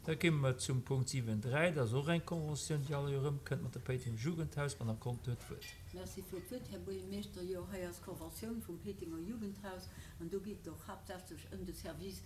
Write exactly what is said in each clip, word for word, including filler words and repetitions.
Da komme mer zum Punkt siwen dräi. Dat ass och eng Conventioun, déi all Joer erëmkënnt mat dem Péitenger Jugendhaus. D'Madame Conter huet d'Wuert. Merci fir d'Wuert, Här Buergermeeschter. Jo, hei ass d'Conventioun vum Péitenger Jugendhaus an do geet et och haaptsächlech ëm de Service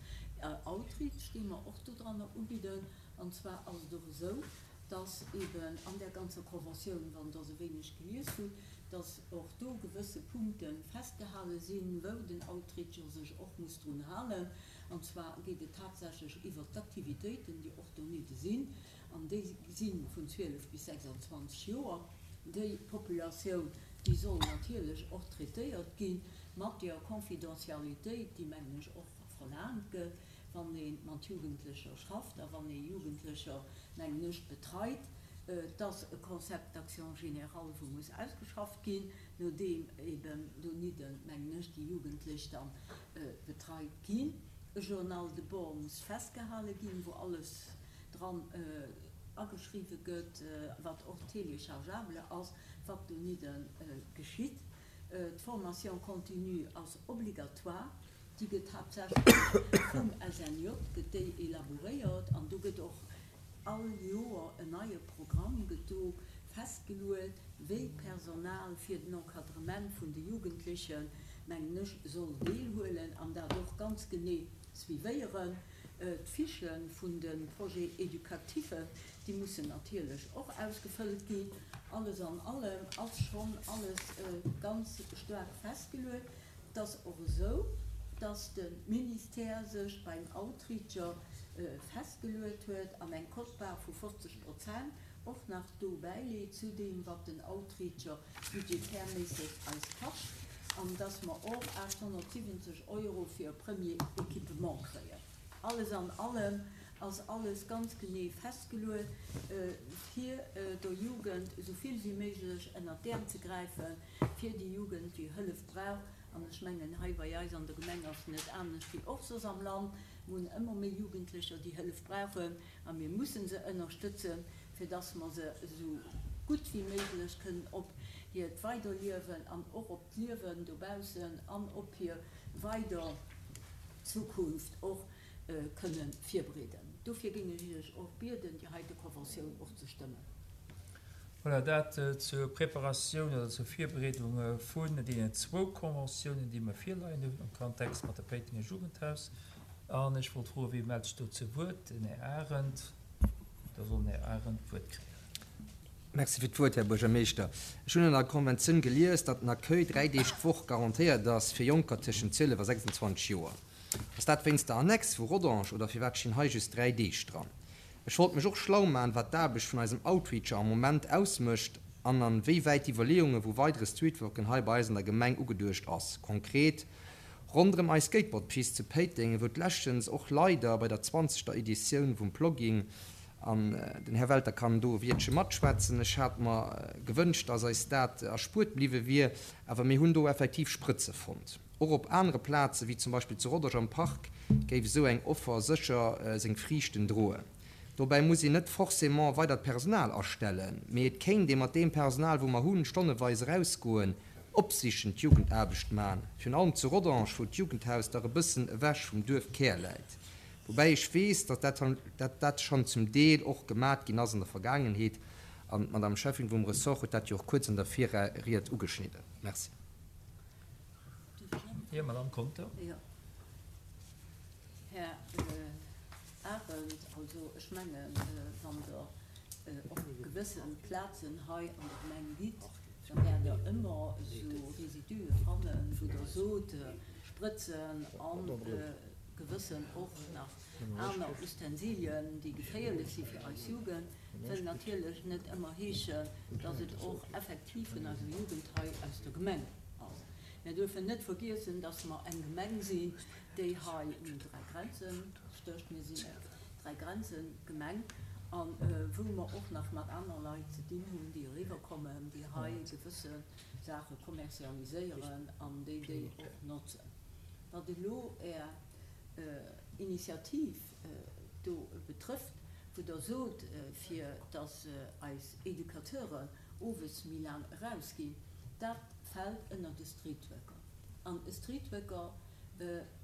Outreach, dee mer och dodranner ubidden. An zwar ass et och esou, dass eben an där ganzer Conventioun, wann Der se wéineg gelies hutt, dass och do gewësse Punkte festgehale sinn, wou den Outreacher sech och muss drun halen. An zwar geet et haaptsächlech iwwert d'Aktivitéiten, déi och donidde sinn, an déi si vun zwielef bis sechsandzwanzeg Joer. Déi Populatioun, déi soll natierlech och traitéiert gi mat der Confidentialitéit, déi, mengen ech, och verlaangt gëtt, wann ee mat Jugendlecher schafft a wann ee Jugendlecher, mengen ech, betreit. Et ass e Concept d'action général, wou muss ausgeschafft ginn, nodeem eben donidden, mengen ech, déi Jugendlech da betreit ginn. E Journal de bord muss festgehale ginn, wou alles dran ageschriwwe gëtt, wat och téléchargeable ass, wat donidde geschitt. D'Formation continue ass obligatoire. Déi gëtt haaptsächlech vum S N J gëtt déi elaboréiert an do gëtt och all Joer en neie Programm gëtt do festgeluet, wéi d'Personal fir den Encadrement vun de Jugendlechen, mengen ech, soll deelhuelen an dat och ganz genee suivéieren. D'Fichë vun de Projets éducatifs, déi mussen natierlech och ausgefëllt ginn. Alles an allem ass schonn alles ganz staark festgeluet. Et ass och esou, dass de Ministère sech beim Outreacher festgeluet huet an eng Quote-part vu fofzeg Prozent och nach do bäileet zu deem, wat den Outreacher budgetärméisseg eis kascht, an dass mer och aachtshonnertsiwwenzeg Euro fir e Premier Équipement kréien. Alles an allem ass alles ganz genee festgeluet, fir der Jugend esou vill wéi méiglech ënnert d'Äerm ze gräifen, fir déi Jugend, déi Hëllef brauch. An ech mengen, hei bei eis an der Gemeng ass et net anescht wéi och soss am Land. Mir hunn ëmmer méi Jugendlecher, déi Hëllef brauchen, a mir mussen se ënnerstëtzen, fir dass mer se esou gutt wéi méiglech kënnen op hiert Weiderliewen an och op d'Liewen dobaussen an op hir weider Zukunft och kënne virbereeden. Dofir géing ech Iech och bieden, déi heite Conventioun och ze stëmmen. Voilà, dat zur Preparatioun oder zur Virbereedung vun deenen zwou Conventiounen, déi mer virleien hunn am Kontext mat dem Péitenger Jugendhaus. An ech wollt froen, wie mellt sech do zu Wuert? Den Här Arendt. Da soll den Här Arendt d'Wuert kréien. Merci fir d'Wuert, Här Buergermeeschter. Ech hunn an der Konventioun gelies, datt den Accueil dräi Deeg d'Woch garantéiert ass fir Jonker tëschent zwielef a sechsundzwanzeg Joer. Ass dat wéinst der Annex vu Rodange oder firwat stinn hei just dräi Deeg dran? Ech wollt mech och schlau maachen, wat d'Aarbecht vun eisem Outreacher am Moment ausmécht an an wéi wäit d'Iwwerleeunge vu weidere Streetworken hei bei eis an der Gemeng ugeduecht ass. Konkret ronderëm eis Skateboardpist zu Péiteng, wou d'leschtens och leider bei der zwanzegter Editioun vum Plogging, an den Här Welter kann do e Wiertche matschwätzen, ech hat mer gewënscht, dass eis dat erspuert bliwwe wier, awer mir hunn do effektiv Sprëtze fonnt. Och op anere Plaze wéi zum Beispill zu Rodange am Park géif esou eng Offer sécher seng Friichten droen. Dobäi muss een net forcément weidert Personal astellen, mee et kéint ee mat deem Personal, wou mer hunn, stonneweis erausgoen, opsichend Jugendaarbecht man, virun allem zu Rodange, wou d'Jugendhaus dach e bëssen ewech vum Duerfkär läit. Woubäi ech weess, datt dat, dat dat schonn zum Deel och gemat ginn ass an der Vergaangenheet, an d'Madame Cheffin vum Ressort huet dat jo och kuerz an der Virried ugeschnidden. Merci. Jo, Madame Conter. Jo. Här Arendt, also ech mengen, wann Der op gewësse Plazen hei an der Gemeng gitt, da wäert Der ëmmer esou Résidue fannen, wou Der sot, Sprëtzen a gewëssen och nach aner Ustensilien, déi geféierlech si fir eis Jugend, wëll natierlech net ëmmer heeschen, dass et och effektiv vun eiser Jugend hei aus der Gemeng ass. Mir dürfen net vergiessen, dass mer eng Gemeng sinn, déi hei un dräi Grenzen stécht. Mir sinn eng Dräi-Grenzen-Gemeng, a wou mer och nach mat aner Leit ze dinn hunn, déi eriwwerkommen, déi hei gewësse Saache kommerzialiséieren an déi déi och notzen. Wat elo Är Initiativ do betrëfft, wou Der sot, fir dass eis Educateuren owes méi laang erausginn, dat fält ënner de Streetworker. An e Streetworker,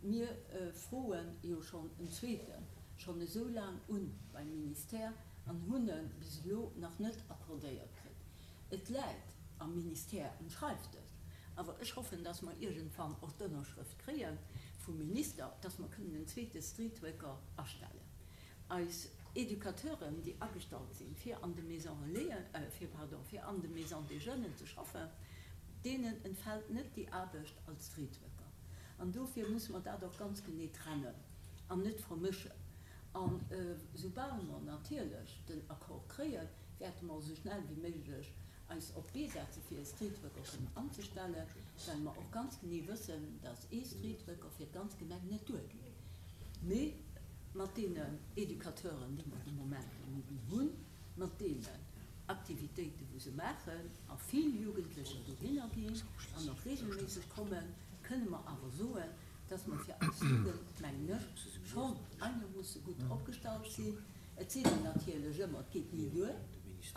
mir froe jo schonn en zweeten, schonn esou laang un beim Ministère an hunn e bis elo nach net accordéiert kritt. Et läit am Ministère um Schreifdësch, awer ech hoffen, dass mer iergendwann och d'Ënnerschrëft kréie vum Minister, dass mer kënnen en zweete Streetworker astellen. Eis Educateuren, déi agestallt sinn, fir an de Maisons Relaisen, fir, pardon, fir an de Maisons des Jeunes ze schaffen, deenen entfält net déi Aarbecht als Streetworker. An dofir musse mer dat och ganz genee trennen an net vermëschen. An soubal mer natierlech den Accord kréien, wäerte mer esou schnell wéi méiglech eis op d'Bee setze fir e Streetworker kënnen anzestellen, well mer och ganz genee wëssen, dass ee Streetworker fir d'ganz Gemeng net duergeet. Mee mat deenen Educateuren, déi mer de Moment hunn, mat deenen Aktivitéiten, wou se maachen a vill Jugendlecher dohinner ginn an och regelméisseg kommen, kënne mer awer soen, dass mer fir eis Jugend, mengen ech, schonn einermoosse gutt opgestallt sinn. Et seet een natierlech ëmmer, et geet ni duer,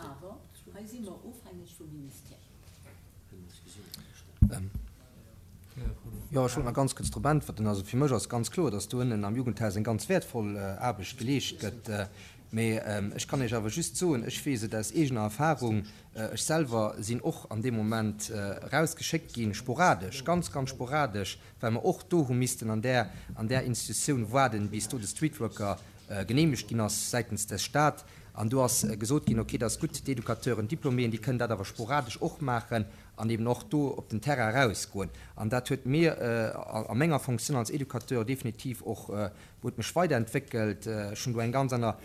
awer hei si mer ofhängeg vum Ministère. Jo, ech wollt nach ganz kuerz drop äntwerten. Also fir mech ass ganz kloer, dass do ënnen am Jugendhaus eng ganz wäertvoll Aarbecht geleescht gëtt. Mee ech kann Iech awer just soen, ech weess et aus eegener Erfahrung, ech selwer sinn och an deem Moment erausgeschéckt ginn, sporadesch, ganz, ganz sporadesch, well mer och do hu missten an där, an där Institutioun waarden, bis do de Streetworker geneemegt ginn ass säitens des Stad. An do ass gesot ginn, okay, dat ass gutt, d'Educateuren, d'Diploméen, déi kënnen dat awer sporadesch och maachen an eben och do op den Terrain erausgoen. An dat huet mir a menger Fonctioun als Educateur definitiv och, huet mech weiderentwéckelt. Ech hunn do eng ganz aner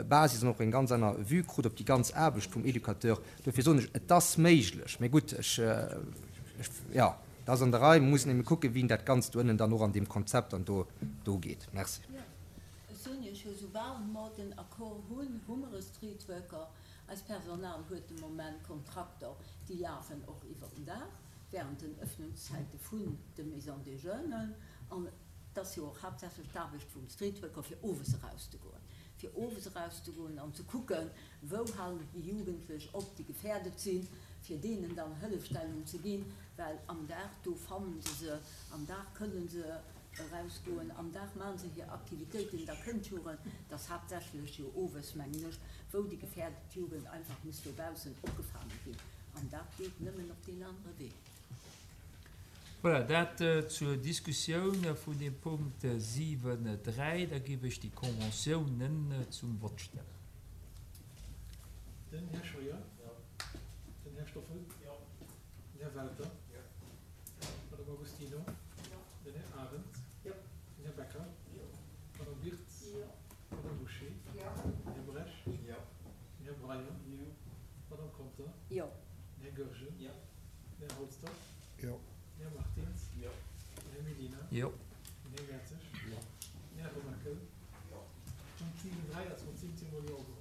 Basis an och eng ganz aner Vue krut op déi ganz Aarbecht vum Educateur. Dofir soen ech, et ass méiglech. Mee gutt, ech, ech, jo, et ass an der Rei. Mer mussen ebe kucken, wéi dat Ganzt do ënnen dann och an deem Konzept dann do, do geet. Merci. Jo, ech soen Iech jo, soubal mer den Accord hunn, hu mer e Streetworker. Eist Personal huet de Moment Kontrakter, déi lafen och iwwer den Dag, während den Öffnungszäite vun de Maisons des Jeunes. An et ass jo och haaptsächlech d'Aarbecht vum Streetworker, fir owes erauszegoen, fir owes erauszegoen an ze kucken, wou halen déi Jugendlech op, déi gefährdet sinn, fir deenen dann Hëllefstellung ze ginn, well am Dag, do fannen se se, am Dag kënnen se erausgoen, am Dag maachen se hir Aktivitéiten, da kënnt d'Jugend, et ass haaptsächlech jo owes, mengen ech, wou déi gefährdet Jugend einfach muss dobaussen opgefaange ginn. An dat geet nëmmen op deen anere Wee. Voilà, dat zur Diskussioun vun dem Punkt siwen dräi. Da géif ech déi Conventiounen zum Vott stellen. Den Här Scheuer. Jo. Den Här Stoffel. Jo. Den Här Welter. Jo. D'Madame Agostino. Jo. Den Här Arendt. Jo. Den Här Becker. Jo. D'Madame Wirtz. Jo. D'Madame Bouché. Jo. Den Här Bresch. Jo. Den Här Breyer. Jo. D'Madame Conter. Jo. Den Här Goergen. Jo. Den Här Holster. Jo. Den Här Martins. Jo. Den Här Mellina. Jo. Den Här Mertzig. Jo. Den Här Remakel. Jo. Punkt siwen dräi ass mat siwzéng Mol Jo geholl.